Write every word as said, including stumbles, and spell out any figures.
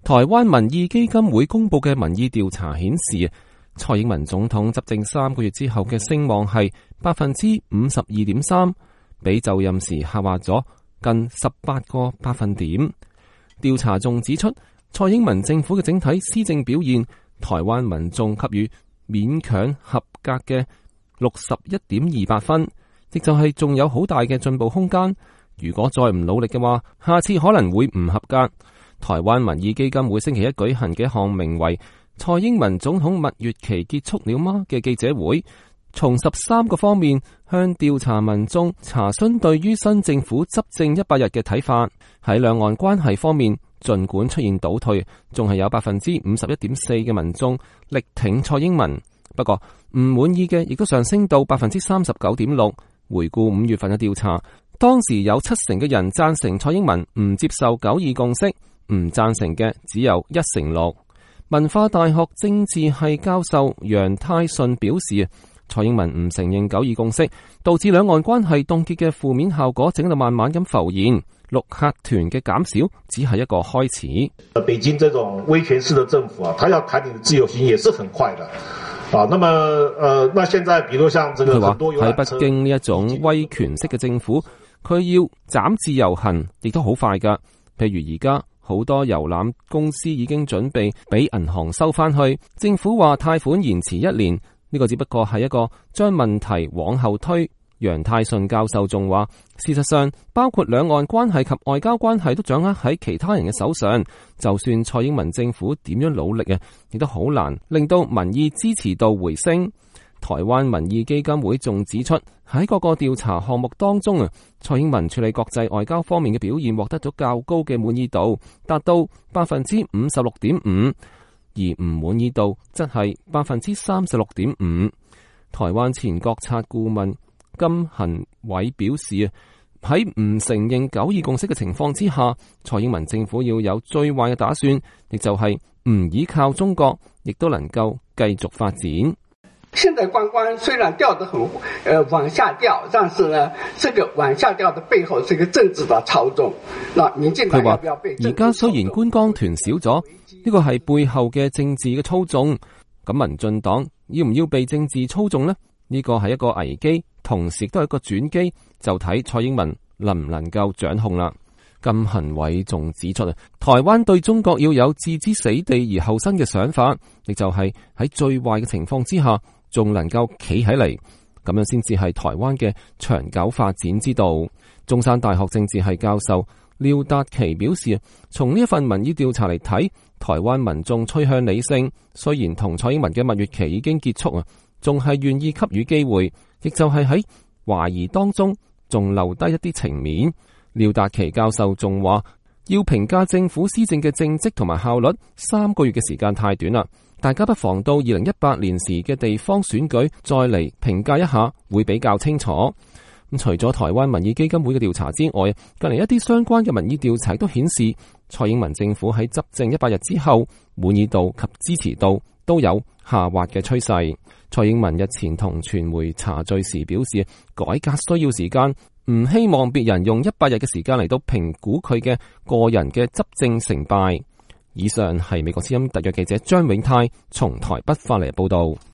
台灣民意基金會公布嘅民意調查顯示，蔡英文總統執政三個月之後嘅聲望係百分之五十二點三，比就任時下滑咗近十八個百分點。調查仲指出，蔡英文政府嘅整體施政表現，台灣民眾給予勉強合格嘅六十一點二八分，亦就係仲有好大嘅進步空間。如果再唔努力嘅話，下次可能會唔合格。台灣民意基金會星期一舉行嘅一項名為蔡英文總統蜜月期結束了嗎嘅記者會，從十三個方面向調查民眾查詢對於新政府執政一百日嘅睇法。喺兩岸關係方面，儘管出現倒退，仲係有百分之五十一點四嘅民眾力挺蔡英文，不過唔滿意嘅亦都上升到百分之三十九點六。回顧五月份嘅調查，當時有七成嘅人贊成蔡英文唔接受九二共識，唔贊成嘅只有一成六。文化大學政治系教授楊泰順表示，蔡英文唔承認九二共識，導致兩岸關係凍結嘅負面效果正喺度慢慢咁浮現。陸客團嘅減少只係一個開始。北京這種威權式的政府啊，他要談你的自由行也是很快的啊。那麼，呃，那現在，比如像這個很多遊覽車，喺北京呢一種威權式嘅政府，佢要斬自由行，亦都好快噶。譬如而家好多遊覽公司已經準備俾銀行收翻去，政府話貸款延遲一年，呢個只不過係一個將問題往後推。楊泰順教授仲話，事實上包括兩岸關係及外交關係都掌握喺其他人嘅手上，就算蔡英文政府點樣努力啊，亦都好難令到民意支持度回升。台灣民意基金會仲指出，喺各個調查項目當中啊，蔡英文處理國際外交方面嘅表現獲得咗較高嘅滿意度，達到百分之五十六點五，而唔滿意度則係百分之三十六點五。台灣前國策顧問金恆偉表示啊，喺唔承認九二共識嘅情況之下，蔡英文政府要有最壞嘅打算，亦就係唔依靠中國，亦都能夠繼續發展。現在觀光雖然掉得很，呃往下掉，但是呢，這個往下掉的背後是一個政治的操縱。那民進黨要不要被政治操縱？而家雖然觀光團少咗，呢個係背後嘅政治嘅操縱。咁民進黨要唔要被政治操縱呢？呢個係一個危機，同時亦都係一個轉機，就睇蔡英文能唔能夠掌控啦。金恆偉仲指出啊，台灣對中國要有置之死地而後生嘅想法，亦就係喺最壞嘅情況之下，仲能夠企起嚟，咁樣先至係台灣嘅長久發展之道。中山大學政治系教授廖達奇表示，從呢一份民意調查嚟睇，台灣民眾趨向理性，雖然同蔡英文嘅蜜月期已經結束啊，仲係願意給予機會，亦就係喺懷疑當中仲留低一啲情面。廖達奇教授仲話，要評價政府施政嘅政績同埋效率，三個月嘅時間太短啦，大家不妨到二零一八年時嘅地方選舉再嚟評價一下，會比較清楚。咁除咗台灣民意基金會嘅調查之外，近嚟一啲相關嘅民意調查都顯示，蔡英文政府喺執政一百日之後，滿意度及支持度都有下滑嘅趨勢。蔡英文日前同傳媒茶敘時表示，改革需要時間，唔希望別人用一百日嘅時間嚟到評估佢嘅個人嘅執政成敗。以上係美國之音特約記者張永泰從台北發嚟報道。